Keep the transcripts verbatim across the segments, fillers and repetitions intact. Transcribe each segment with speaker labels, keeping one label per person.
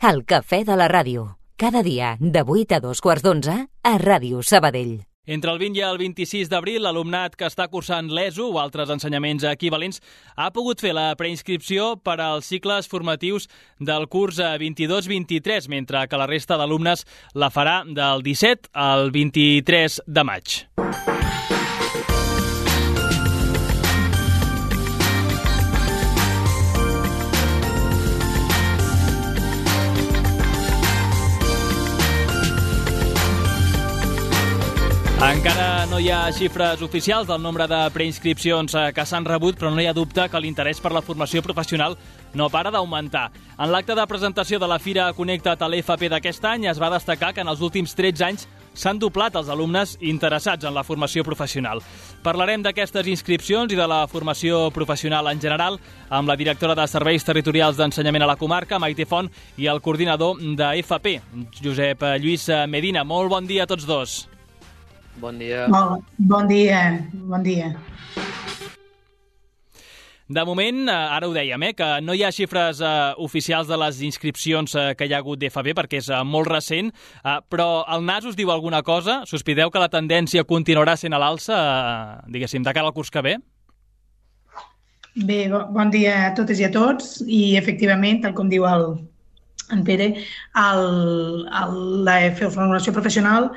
Speaker 1: El cafè de la ràdio. Cada dia, de vuit a dos quarts d'onze, a Ràdio Sabadell.
Speaker 2: Entre el vint i el vint-i-sis d'abril, l'alumnat que està cursant l'E S O o altres ensenyaments equivalents ha pogut fer la preinscripció per als cicles formatius del curs vint-i-dos vint-i-tres, mentre que la resta d'alumnes la farà del disset al vint-i-tres de maig. Encara no hi ha xifres oficials del nombre de preinscripcions que s'han rebut, però no hi ha dubte que l'interès per la formació professional no para d'augmentar. En l'acte de presentació de la Fira Connecta't a l'E F P d'aquest any es va destacar que en els últims tretze anys s'han doblat els alumnes interessats en la formació professional. Parlarem d'aquestes inscripcions i de la formació professional en general amb la directora de Serveis Territorials d'Ensenyament a la comarca, Maite Font, i el coordinador de F P, Josep Lluís Medina. Molt bon dia a tots dos.
Speaker 3: Bon dia.
Speaker 4: Bon, bon dia, bon dia.
Speaker 2: De moment, ara ho dèiem, eh, que no hi ha xifres eh, oficials de les inscripcions eh, que hi ha hagut d'F P perquè és eh, molt recent, eh, però el N A S us diu alguna cosa? Sospiteu que la tendència continuarà sent a l'alça, eh, diguéssim, de cara al curs que ve?
Speaker 4: Bé, bon dia a totes i a tots i, efectivament, tal com diu el, en Pere, el, el, la formació professional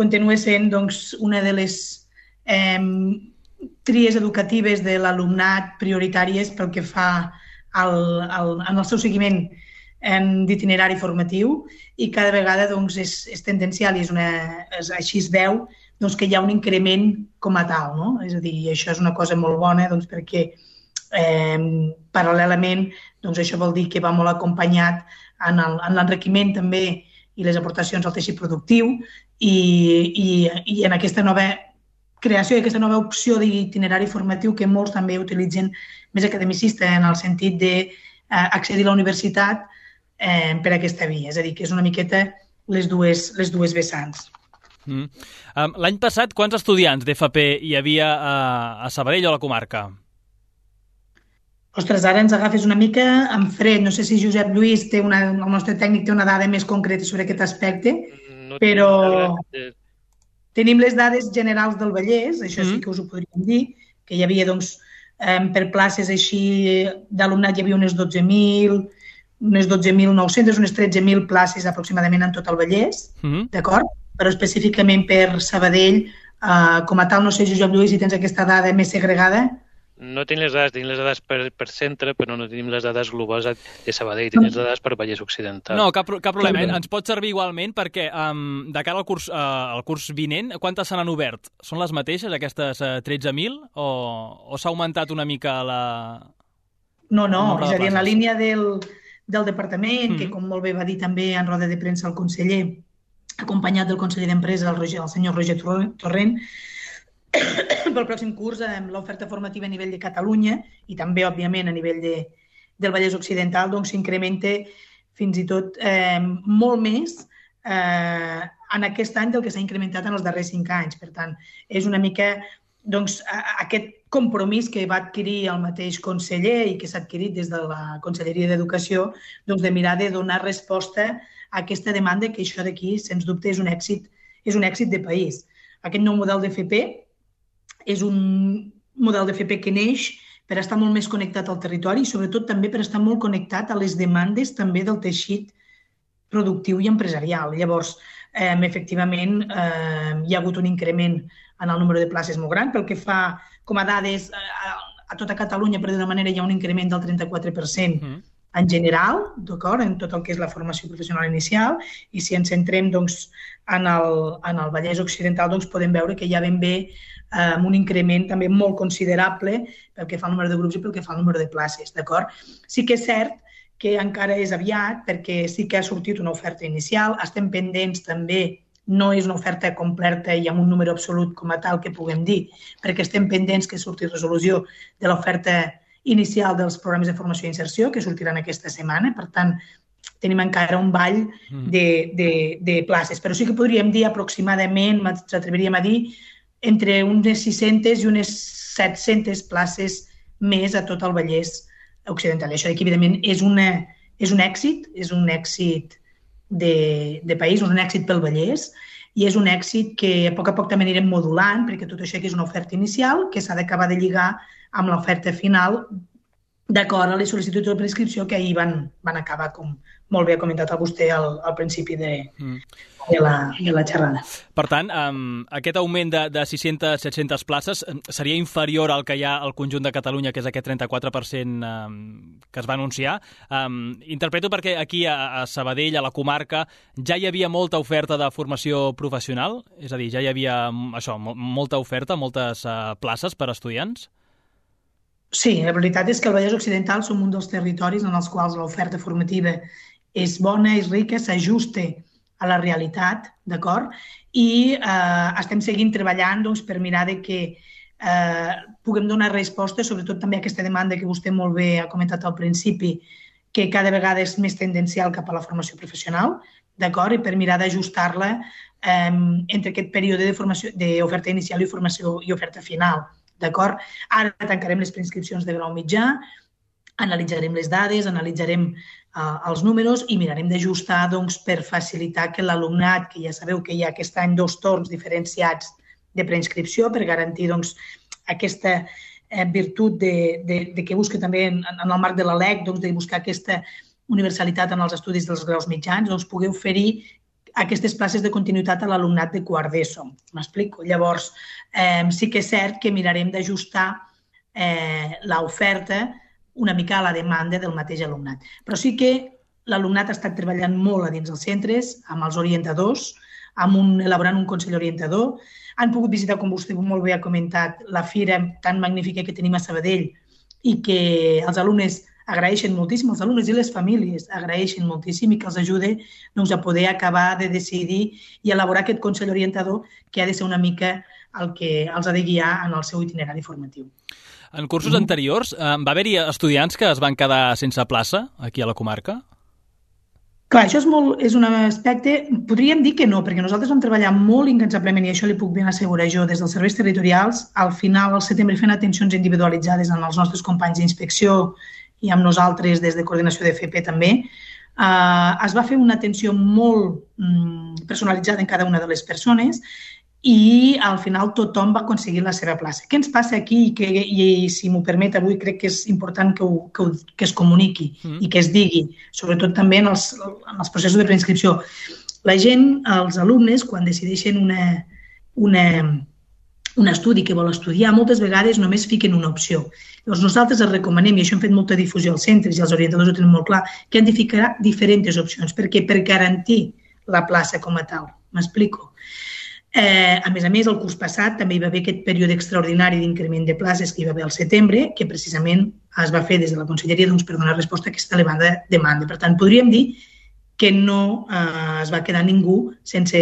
Speaker 4: continua sent doncs, una de les eh, tries educatives de l'alumnat prioritàries pel que fa al, al, en el seu seguiment d'itinerari formatiu i cada vegada doncs, és, és tendencial i és una, és, així es veu doncs, que hi ha un increment com a tal. No? És a dir, això és una cosa molt bona doncs, perquè eh, paral·lelament doncs, això vol dir que va molt acompanyat en l'enriquiment també i les aportacions al teixit productiu i, i, i en aquesta nova creació i aquesta nova opció d'itinerari formatiu que molts també utilitzen més academicista en el sentit d'accedir a la universitat eh, per aquesta via. És a dir, que és una miqueta les dues, les dues vessants.
Speaker 2: Mm. Um, L'any passat, quants estudiants d'F P hi havia a, a Sabadell o a la comarca?
Speaker 4: Ostres, ara ens agafes una mica en fred. No sé si Josep Lluís, té una, el nostre tècnic, té una dada més concreta sobre aquest aspecte, no però tenim les dades generals del Vallès, això sí que us ho podríem dir, que hi havia, doncs, per places així d'alumnat hi havia unes dotze mil, unes dotze mil nou-centes, unes tretze mil places aproximadament en tot el Vallès, mm-hmm. d'acord? Però específicament per Sabadell, eh, com a tal, no sé, Josep Lluís, si tens aquesta dada més segregada.
Speaker 3: No tenim les dades, tenim les dades per, per centre, però no tenim les dades globals de Sabadell, tenim les dades per Vallès Occidental.
Speaker 2: No, cap, cap problema, eh? Ens pot servir igualment perquè um, de cara al curs, uh, al curs vinent, quantes se n'han obert? Són les mateixes, aquestes uh, tretze mil, o, o s'ha augmentat una mica la...
Speaker 4: No, no, és a dir, en la línia del, del departament, mm-hmm. que com molt bé va dir també en roda de premsa el conseller, acompanyat del conseller d'Empresa, el, el senyor Roger Torrent, pel pròxim curs amb l'oferta formativa a nivell de Catalunya i també, òbviament, a nivell de, del Vallès Occidental, doncs s'incrementa fins i tot eh, molt més eh, en aquest any del que s'ha incrementat en els darrers cinc anys. Per tant, és una mica doncs, aquest compromís que va adquirir el mateix conseller i que s'ha adquirit des de la Conselleria d'Educació doncs, de mirar de donar resposta a aquesta demanda que això d'aquí, sens dubte, és un èxit, és un èxit de país. Aquest nou model d'F P és un model d'F P que neix per estar molt més connectat al territori i sobretot també per estar molt connectat a les demandes també del teixit productiu i empresarial. Llavors, eh, efectivament, eh, hi ha hagut un increment en el número de places molt gran. Pel que fa com a dades a, a tota Catalunya, per d'una manera, hi ha un increment del trenta-quatre per cent mm. en general, d'acord, en tot el que és la formació professional inicial, i si ens centrem doncs, en, el, en el Vallès Occidental doncs, podem veure que hi ha ben bé amb un increment també molt considerable pel que fa al número de grups i pel que fa al número de places, d'acord? Sí que és cert que encara és aviat perquè sí que ha sortit una oferta inicial, estem pendents també, no és una oferta completa i amb un número absolut com a tal que puguem dir, perquè estem pendents que surti resolució de l'oferta inicial dels programes de formació i inserció que sortiran aquesta setmana, per tant, tenim encara un ball de, de, de places, però sí que podríem dir aproximadament, ens atreviríem a dir, entre unes sis-centes i unes set-centes places més a tot el Vallès Occidental. I això, evidentment, és una, és un èxit, és un èxit de, de país, un èxit pel Vallès, i és un èxit que a poc a poc també anirem modulant, perquè tot això que és una oferta inicial que s'ha d'acabar de lligar amb l'oferta final d'acord a les sol·licituds de prescripció que ahir van, van acabar, com molt bé ha comentat vostè al, al principi de, mm. de, la, de la xerrada.
Speaker 2: Per tant, um, aquest augment de, de sis-centes a set-centes places seria inferior al que hi ha al conjunt de Catalunya, que és aquest trenta-quatre per cent um, que es va anunciar. Um, interpreto perquè aquí a, a Sabadell, a la comarca, ja hi havia molta oferta de formació professional? És a dir, ja hi havia això, molta oferta, moltes uh, places per a estudiants?
Speaker 4: Sí, la veritat és que el Vallès Occidental som un dels territoris en els quals l'oferta formativa és bona, és rica, s'ajusta a la realitat, d'acord? I eh, estem seguint treballant doncs, per mirar de que eh, puguem donar resposta, sobretot també a aquesta demanda que vostè molt bé ha comentat al principi, que cada vegada és més tendencial cap a la formació professional, d'acord? I per mirar d'ajustar-la eh, entre aquest període de formació, d'oferta inicial i formació i oferta final. D'acord? Ara tancarem les preinscripcions de grau mitjà, analitzarem les dades, analitzarem uh, els números i mirarem d'ajustar doncs, per facilitar que l'alumnat, que ja sabeu que hi ha aquest any dos torns diferenciats de preinscripció per garantir doncs, aquesta eh, virtut de, de, de que busca també en, en el marc de la L E C doncs, de buscar aquesta universalitat en els estudis dels graus mitjans, doncs, pugui oferir aquestes places de continuïtat a l'alumnat de quart d'ESO. M'explico? Llavors, eh, sí que és cert que mirarem d'ajustar eh, l'oferta una mica a la demanda del mateix alumnat. Però sí que l'alumnat ha estat treballant molt a dins dels centres, amb els orientadors, amb un, elaborant un consell orientador. Han pogut visitar, com vostè molt bé ha comentat, la fira tan magnífica que tenim a Sabadell i que els alumnes agraeixen moltíssim, els alumnes i les famílies agraeixen moltíssim i que els ajude doncs, a poder acabar de decidir i elaborar aquest consell orientador que ha de ser una mica el que els ha de guiar en el seu itinerari formatiu.
Speaker 2: En cursos mm. anteriors eh, va haver-hi estudiants que es van quedar sense plaça aquí a la comarca?
Speaker 4: Clar, això és, molt, és un aspecte... Podríem dir que no, perquè nosaltres vam treballar molt incansablement i això li puc ben assegurar jo des dels serveis territorials. Al final, al setembre, fent atencions individualitzades en els nostres companys d'inspecció i amb nosaltres des de coordinació de F P també, eh, es va fer una atenció molt mm, personalitzada en cada una de les persones i al final tothom va aconseguir la seva plaça. Què ens passa aquí i, que, i si m'ho permet, avui crec que és important que, ho, que, ho, que es comuniqui mm. i que es digui, sobretot també en els, en els processos de preinscripció. La gent, els alumnes, quan decideixen una, una, un estudi que vol estudiar, moltes vegades només fiquen una opció. Llavors nosaltres els recomanem, i això hem fet molta difusió als centres i els orientadors ho tenen molt clar, que han de ficar diferents opcions. Per què? Per garantir la plaça com a tal. M'explico? Eh, a més a més, el curs passat també hi va haver aquest període extraordinari d'increment de places que hi va haver al setembre, que precisament es va fer des de la Conselleria doncs, per donar resposta a aquesta elevada demanda. Per tant, podríem dir que no eh, es va quedar ningú sense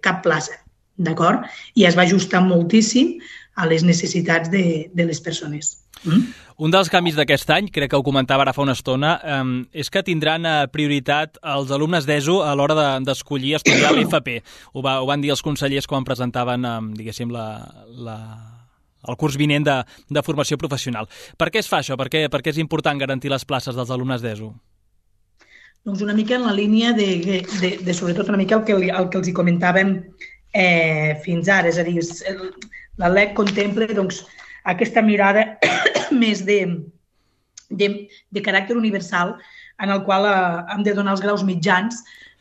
Speaker 4: cap plaça, d'acord? I es va ajustar moltíssim a les necessitats de, de les persones. Mm?
Speaker 2: Un dels canvis d'aquest any, crec que ho comentava ara fa una estona, eh, és que tindran prioritat els alumnes d'ESO a l'hora d'escollir de, estudiar l'F P. Ho, va, ho van dir els consellers quan presentaven, eh, diguéssim, la, la, el curs vinent de, de formació professional. Per què es fa això? Per què, per què és important garantir les places dels alumnes d'ESO?
Speaker 4: Doncs una mica en la línia de, de, de sobretot una mica el que, el que els hi comentàvem eh, fins ara. És a dir, el, la L E C contempla doncs, aquesta mirada més de, de, de caràcter universal en el qual eh, hem de donar els graus mitjans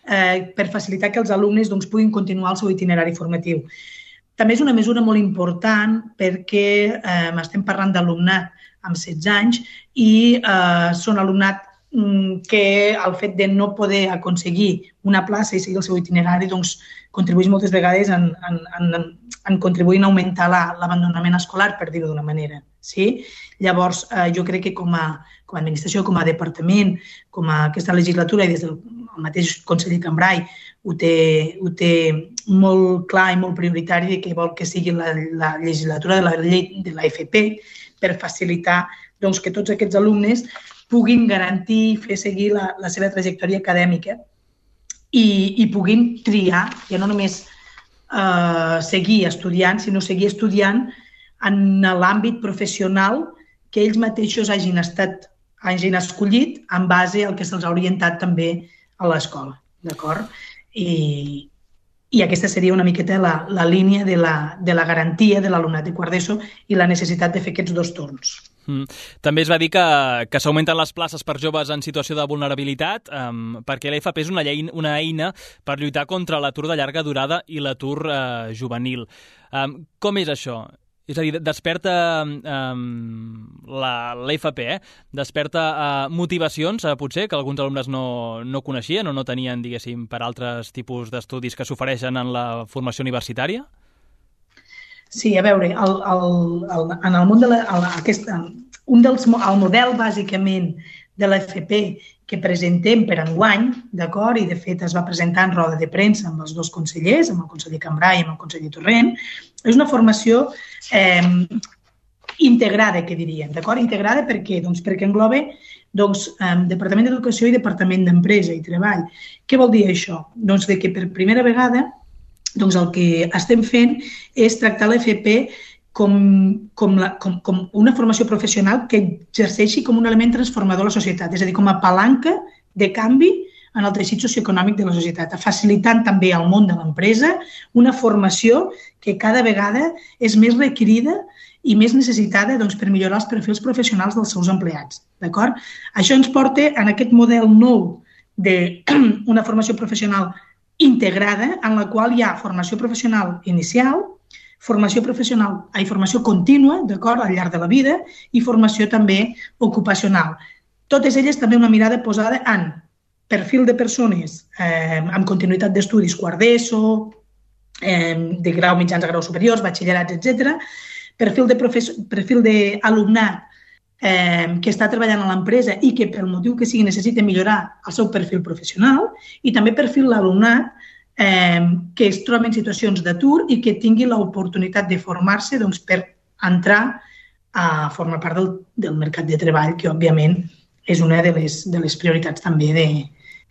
Speaker 4: eh, per facilitar que els alumnes doncs, puguin continuar el seu itinerari formatiu. També és una mesura molt important perquè eh, estem parlant d'alumnat amb setze anys i eh, són alumnat que el fet de no poder aconseguir una plaça i seguir el seu itinerari doncs, contribueix moltes vegades en, en, en, en contribuir a augmentar l'abandonament escolar, per dir-ho d'una manera. Sí? Llavors, eh, jo crec que com a, com a administració, com a departament, com a aquesta legislatura i des del mateix conseller Cambrai ho té, ho té molt clar i molt prioritari que vol que sigui la, la legislatura de la llei de la F P per facilitar doncs, que tots aquests alumnes puguin garantir i fer seguir la, la seva trajectòria acadèmica i, i puguin triar, ja no només eh, seguir estudiant, sinó seguir estudiant en l'àmbit professional que ells mateixos hagin estat hagin escollit en base al que se'ls ha orientat també a l'escola, d'acord? I, i aquesta seria una miqueta la, la línia de la, de la garantia de l'alumnat de quart d'ESO i la necessitat de fer aquests dos torns.
Speaker 2: Mm. També es va dir que, que s'augmenten les places per joves en situació de vulnerabilitat um, perquè l'A F P és una, llei, una eina per lluitar contra l'atur de llarga durada i l'atur uh, juvenil. Um, com és això? És a dir, desperta um, la, l'A F P, eh? desperta uh, motivacions, uh, potser, que alguns alumnes no, no coneixien o no tenien, diguéssim, per altres tipus d'estudis que s'ofereixen en la formació universitària?
Speaker 4: Sí, a veure, el, el, el, en el món de la, el, aquest, un dels, el model bàsicament de l'A F P que presentem per enguany, d'acord, i de fet es va presentar en roda de premsa amb els dos consellers, amb el conseller Cambray i amb el conseller Torrent, és una formació eh, integrada, que diríem, d'acord? Integrada per què? Doncs perquè engloba doncs, eh, Departament d'Educació i Departament d'Empresa i Treball. Què vol dir això? Doncs de que per primera vegada doncs el que estem fent és tractar l'A F P com, com, la, com, com una formació professional que exerceixi com un element transformador a la societat, és a dir, com a palanca de canvi en el teixit socioeconòmic de la societat, facilitant també al món de l'empresa una formació que cada vegada és més requerida i més necessitada doncs, per millorar els perfils professionals dels seus empleats. D'acord? Això ens porta en aquest model nou d'una formació professional integrada, en la qual hi ha formació professional inicial, formació professional i formació contínua, d'acord, al llarg de la vida, i formació també ocupacional. Totes elles també una mirada posada en perfil de persones eh, amb continuïtat d'estudis, quart d'ESO, eh, de grau mitjans a grau superiors, batxillerats, etcètera, perfil de perfil d'alumnat eh, que està treballant a l'empresa i que pel motiu que sigui necessita millorar el seu perfil professional, i també perfil d'alumnat eh, que es troba en situacions d'atur i que tingui l'oportunitat de formar-se doncs, per entrar a formar part del, del mercat de treball, que òbviament és una de les, de les prioritats també de,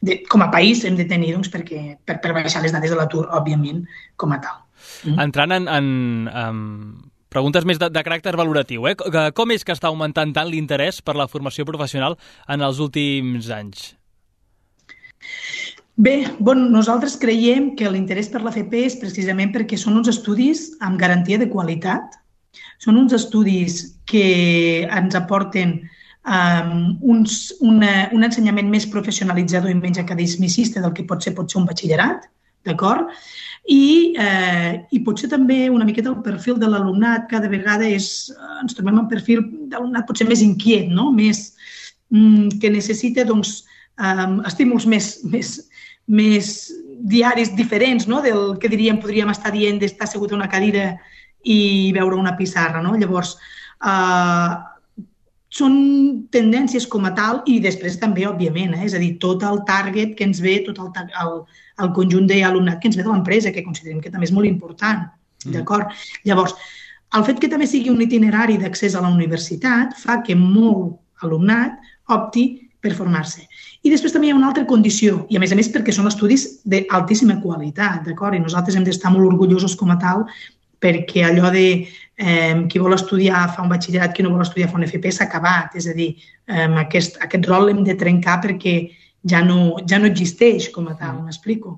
Speaker 4: de, com a país hem de tenir doncs, perquè, per, per baixar les dades de l'atur, òbviament, com a tal.
Speaker 2: Mm. Entrant en, en, en preguntes més de, de caràcter valoratiu, eh? Com és que està augmentant tant l'interès per la formació professional en els últims anys?
Speaker 4: Bé, bon, nosaltres creiem que l'interès per l'A F P és precisament perquè són uns estudis amb garantia de qualitat, són uns estudis que ens aporten um, uns, una, un ensenyament més professionalitzador i menys academicista del que pot ser, pot ser un batxillerat, d'acord? I, eh, i potser també una miqueta el perfil de l'alumnat cada vegada és, ens trobem un perfil d'alumnat potser més inquiet, no? Més, mm, que necessita doncs, um, estímuls més, més, més diaris diferents, no? Del que diríem, podríem estar dient d'estar assegut a una cadira i veure una pissarra, no? Llavors, eh, són tendències com a tal i després també, òbviament, eh? És a dir, tot el target que ens ve, tot el, el, el conjunt d'alumnat que ens ve de l'empresa, que considerem que també és molt important, mm. d'acord? Llavors, el fet que també sigui un itinerari d'accés a la universitat fa que molt alumnat opti per formar-se. I després també hi ha una altra condició, i a més a més perquè són estudis d'altíssima qualitat, d'acord? I nosaltres hem d'estar molt orgullosos com a tal perquè allò de eh, qui vol estudiar fa un batxillerat, qui no vol estudiar fa un F P s'ha acabat. És a dir, eh, aquest, aquest rol l'hem de trencar perquè ja no, ja no existeix com a tal, m'explico.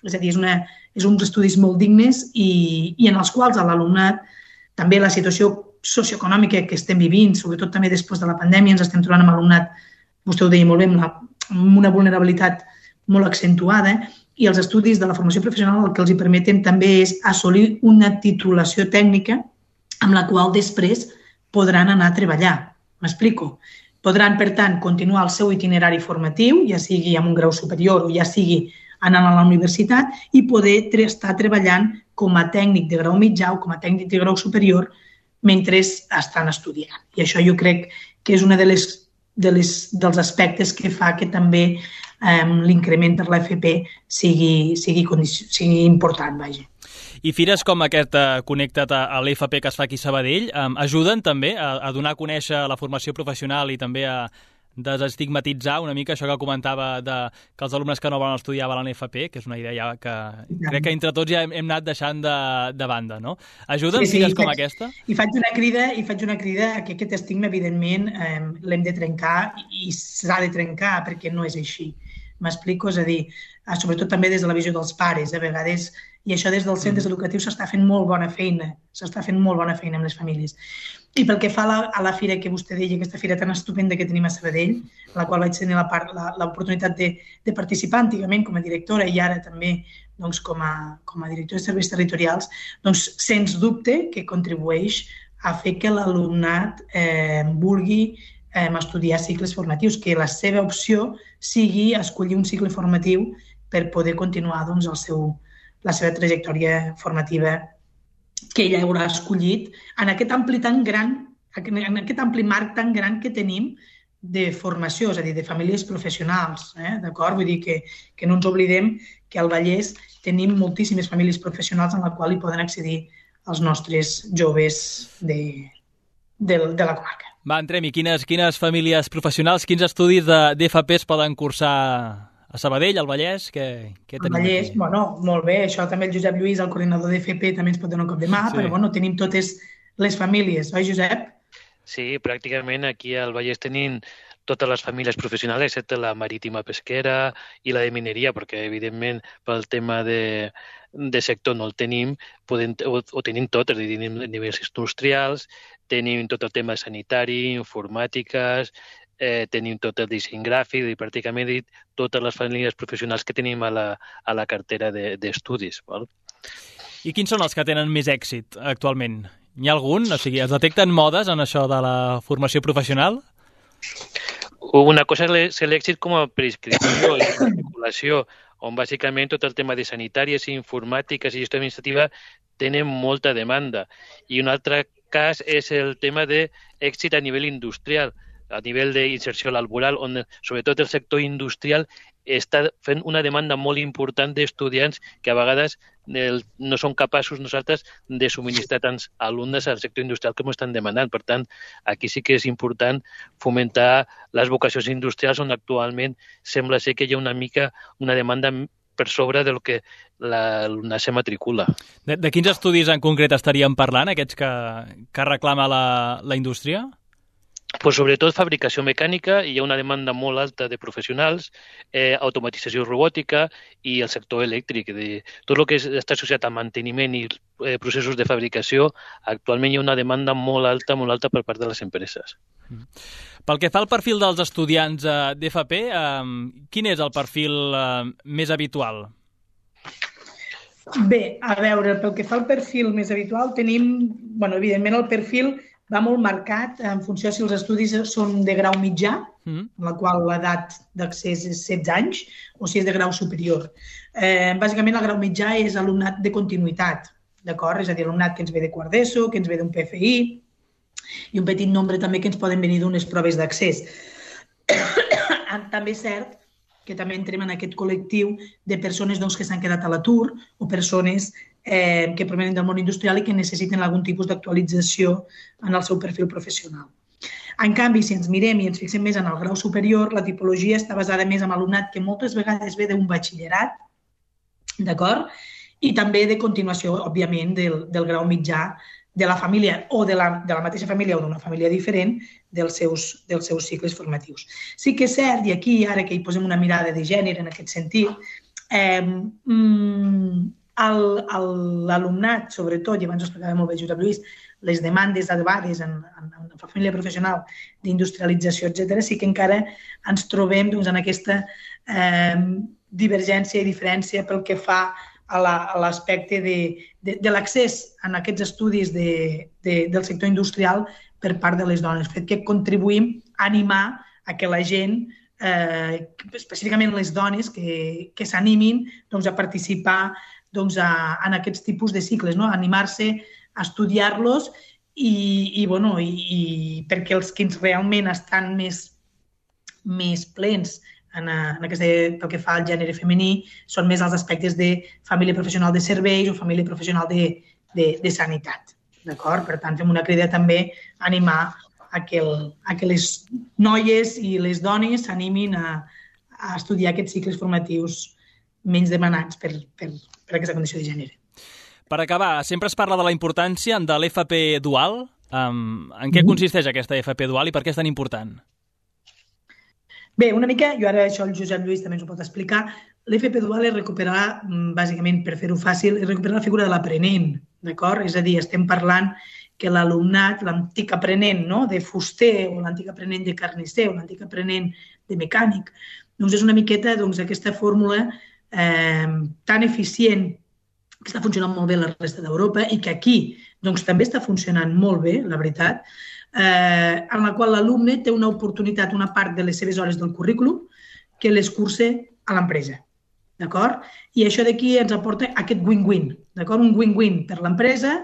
Speaker 4: És a dir, és, una, és uns estudis molt dignes i, i en els quals l'alumnat, també la situació socioeconòmica que estem vivint, sobretot també després de la pandèmia, ens estem trobant amb alumnat, vostè ho deia molt bé, amb, la, amb una vulnerabilitat molt accentuada, i els estudis de la formació professional el que els hi permeten també és assolir una titulació tècnica amb la qual després podran anar a treballar. M'explico? Podran, per tant, continuar el seu itinerari formatiu, ja sigui amb un grau superior o ja sigui anant a la universitat, i poder estar treballant com a tècnic de grau mitjà o com a tècnic de grau superior mentre estan estudiant. I això jo crec que és una de les, de les, dels aspectes que fa que també Um, l'increment per l'A F P sigui, sigui, sigui important, vaja.
Speaker 2: I fires com aquest uh, Connecta't a, a l'A F P que es fa aquí a Sabadell um, ajuden també a, a donar a conèixer la formació professional i també a, desestigmatitzar una mica això que comentava de que els alumnes que no volen estudiar volen F P, que és una idea que crec que entre tots ja hem, hem anat deixant de, de banda, no? Ajuden
Speaker 4: sí, sí,
Speaker 2: fires com
Speaker 4: faig,
Speaker 2: aquesta?
Speaker 4: I faig una crida i faig una crida a que aquest estigma, evidentment, eh, l'hem de trencar i s'ha de trencar perquè no és així. M'explico? És a dir, sobretot també des de la visió dels pares, a vegades, i això des dels centres educatius s'està fent molt bona feina, s'està fent molt bona feina amb les famílies. I pel que fa a la, a la fira que vostè deia, aquesta fira tan estupenda que tenim a Sabadell, en la qual vaig tenir l'oportunitat de, de participar antigament com a directora i ara també doncs, com, a, com a directora de serveis territorials, doncs, sens dubte que contribueix a fer que l'alumnat eh, vulgui eh, estudiar cicles formatius, que la seva opció sigui escollir un cicle formatiu per poder continuar doncs, el seu, la seva trajectòria formativa que ella haurà escollit en aquest ampli tan gran, en aquest ampli marc tan gran que tenim de formació, és a dir, de famílies professionals, eh? D'acord? Vull dir que, que no ens oblidem que al Vallès tenim moltíssimes famílies professionals en la qual hi poden accedir els nostres joves de, de, de la comarca.
Speaker 2: Va, entrem-hi. Quines, quines famílies professionals, quins estudis d'F P es poden cursar a Sabadell, al Vallès? Què, què tenim
Speaker 4: al Vallès,
Speaker 2: aquí?
Speaker 4: Bueno, molt bé. Això també el Josep Lluís, el coordinador d'F P, també ens pot donar un cop de mà, sí. Però bueno, tenim totes les famílies, oi, Josep?
Speaker 3: Sí, pràcticament aquí al Vallès tenim totes les famílies professionals, excepte la marítima pesquera i la de mineria, perquè, evidentment, pel tema de, de sector no el tenim, podem, ho, ho tenim tot, és a dir, tenim nivells industrials, tenim tot el tema sanitari, informàtiques, eh, tenim tot el disseny gràfic, i pràcticament dit totes les famílies professionals que tenim a la, a la cartera d'estudis. De,
Speaker 2: I quins són els que tenen més èxit actualment? Hi ha algun? O sigui, es detecten modes en això de la formació professional?
Speaker 3: Una cosa és l'èxit com a prescripció i matriculació, on bàsicament tot el tema de sanitàries, informàtiques i gestió administrativa tenen molta demanda. I un altre cas és el tema d'èxit a nivell industrial, a nivell d'inserció laboral, on sobretot el sector industrial està fent una demanda molt important d'estudiants que a vegades no són capaços nosaltres de subministrar tants alumnes al sector industrial com estan demanant. Per tant, aquí sí que és important fomentar les vocacions industrials on actualment sembla ser que hi ha una mica una demanda per sobre del que l'alumnat se matricula.
Speaker 2: De, de quins estudis en concret estaríem parlant, aquests que, que reclama la, la indústria?
Speaker 3: Pues sobretot fabricació mecànica, hi ha una demanda molt alta de professionals, eh, automatització robòtica i el sector elèctric. De, tot el que està associat al manteniment i eh, processos de fabricació, actualment hi ha una demanda molt alta, molt alta per part de les empreses.
Speaker 2: Pel que fa al perfil dels estudiants eh, d'F P, eh, quin és el perfil eh, més habitual?
Speaker 4: Bé, a veure, pel que fa al perfil més habitual, tenim, bueno, evidentment el perfil va molt marcat en funció si els estudis són de grau mitjà, mm. en la qual l'edat d'accés és setze anys, o si és de grau superior. Eh, bàsicament, el grau mitjà és alumnat de continuïtat, d'acord? És a dir, alumnat que ens ve de quart d'ESO, que ens ve d'un P F I, i un petit nombre també que ens poden venir d'unes proves d'accés. També és cert que també entrem en aquest col·lectiu de persones doncs, que s'han quedat a l'atur o persones eh, que provenen del món industrial i que necessiten algun tipus d'actualització en el seu perfil professional. En canvi, si ens mirem i ens fixem més en el grau superior, la tipologia està basada més en alumnat que moltes vegades ve d'un batxillerat, d'acord? I també de continuació, òbviament, del, del grau mitjà de la família o de la, de la mateixa família o d'una família diferent dels seus, dels seus cicles formatius. Sí que és cert, i aquí ara que hi posem una mirada de gènere en aquest sentit, eh, l'alumnat, sobretot, i abans ho explicava molt bé Josep Lluís, les demandes elevades en, en, en la família professional d'industrialització, etcètera, sí que encara ens trobem doncs, en aquesta eh, divergència i diferència pel que fa a l'aspecte de, de, de l'accés en aquests estudis de, de, del sector industrial per part de les dones. Fet que contribuïm a animar a que la gent, eh, específicament les dones, que, que s'animin doncs, a participar doncs, a, en aquests tipus de cicles, no? Animar-se a estudiar-los i, i, bueno, i, i perquè els que realment estan més, més plens en, en aquesta, pel que fa al gènere femení, són més els aspectes de família professional de serveis o família professional de, de, de sanitat. D'acord? Per tant, fem una crida també a animar a que, el, a que les noies i les dones s'animin a, a estudiar aquests cicles formatius menys demanats per, per, per aquesta condició de gènere.
Speaker 2: Per acabar, sempre es parla de la importància de l'F P dual. Um, en què
Speaker 4: Mm-hmm.
Speaker 2: consisteix aquesta F P dual i per què és tan important?
Speaker 4: Bé, una mica, jo ara això el Josep Lluís també ens ho pot explicar, l'F P dual és recuperar, bàsicament, per fer-ho fàcil, és recuperar la figura de l'aprenent, d'acord? És a dir, estem parlant que l'alumnat, l'antic aprenent, no?, de fuster o l'antic aprenent de carnisser o l'antic aprenent de mecànic, doncs és una miqueta doncs, aquesta fórmula eh, tan eficient que està funcionant molt bé a la resta d'Europa i que aquí doncs, també està funcionant molt bé, la veritat, eh, en la qual l'alumne té una oportunitat, una part de les seves hores del currículum que les cursa a l'empresa. D'acord? I això d'aquí ens aporta aquest win-win, d'acord? Un win-win per l'empresa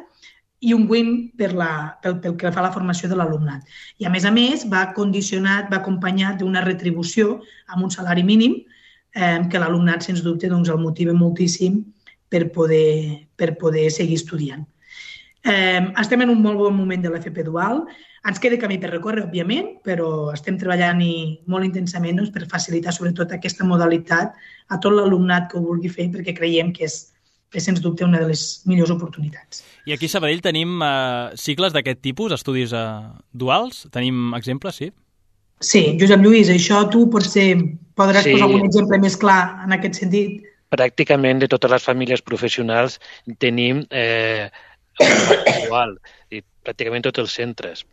Speaker 4: i un win per la, pel, pel que fa a la formació de l'alumnat. I, a més a més, va condicionat, va acompanyat d'una retribució amb un salari mínim eh, que l'alumnat, sens dubte, doncs, el motiva moltíssim per poder, per poder seguir estudiant. Eh, estem en un molt bon moment de l'F P dual. Ens queda camí per recórrer, òbviament, però estem treballant i molt intensament doncs, per facilitar sobretot aquesta modalitat a tot l'alumnat que ho vulgui fer, perquè creiem que és, és sens dubte una de les millors oportunitats.
Speaker 2: I aquí a Sabadell tenim eh, cicles d'aquest tipus, estudis eh, duals? Tenim exemples, sí?
Speaker 4: Sí, Josep Lluís, això tu potser podràs
Speaker 3: Sí.
Speaker 4: posar algun exemple més clar en aquest sentit.
Speaker 3: Pràcticament de totes les famílies professionals tenim eh, dual, i pràcticament tots els centres.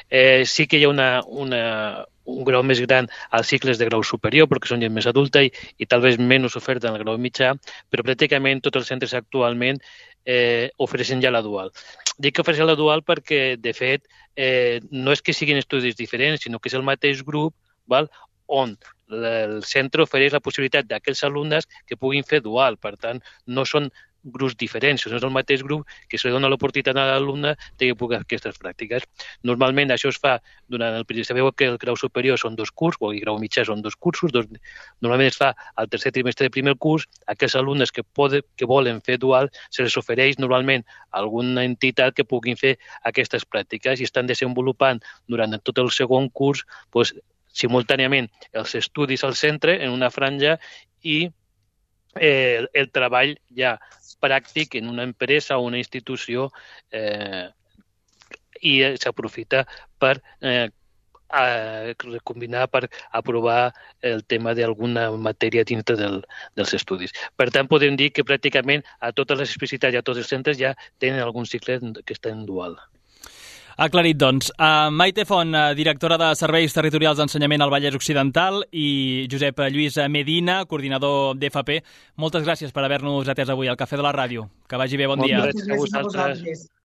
Speaker 3: Eh, sí que hi ha una, una, un grau més gran als cicles de grau superior, perquè són gent més adulta i, i tal vegada menys oferta en el grau mitjà, però pràcticament tots els centres actualment eh, ofereixen ja la dual. Dic que ofereixen la dual perquè, de fet, eh, no és que siguin estudis diferents, sinó que és el mateix grup, val? On el centre ofereix la possibilitat d'aquells alumnes que puguin fer dual. Per tant, no són grups diferents, no és el mateix grup que se li dona l'oportunitat a l'alumne de que pugui fer aquestes pràctiques. Normalment això es fa durant el període. Sabeu que el grau superior són dos cursos, o el grau mitjà són dos cursos. Dos, normalment es fa al tercer trimestre del primer curs. Aquells alumnes que, poden, que volen fer dual se les ofereix normalment alguna entitat que puguin fer aquestes pràctiques i estan desenvolupant durant tot el segon curs doncs, simultàniament els estudis al centre en una franja i eh, el treball ja pràctic en una empresa o una institució eh, i s'aprofita per eh, a combinar per aprovar el tema d'alguna matèria dintre del, dels estudis. Per tant, podem dir que pràcticament a totes les especialitats i a tots els centres ja tenen algun cicle que està en dual.
Speaker 2: Aclarit, doncs. Uh, Maite Font, uh, directora de Serveis Territorials d'Ensenyament al Vallès Occidental, i Josep Lluís Medina, coordinador d'F P. Moltes gràcies per haver-nos atès avui al Cafè de la Ràdio. Que vagi bé, bon
Speaker 3: Moltes
Speaker 2: dia.
Speaker 3: gràcies a vosaltres.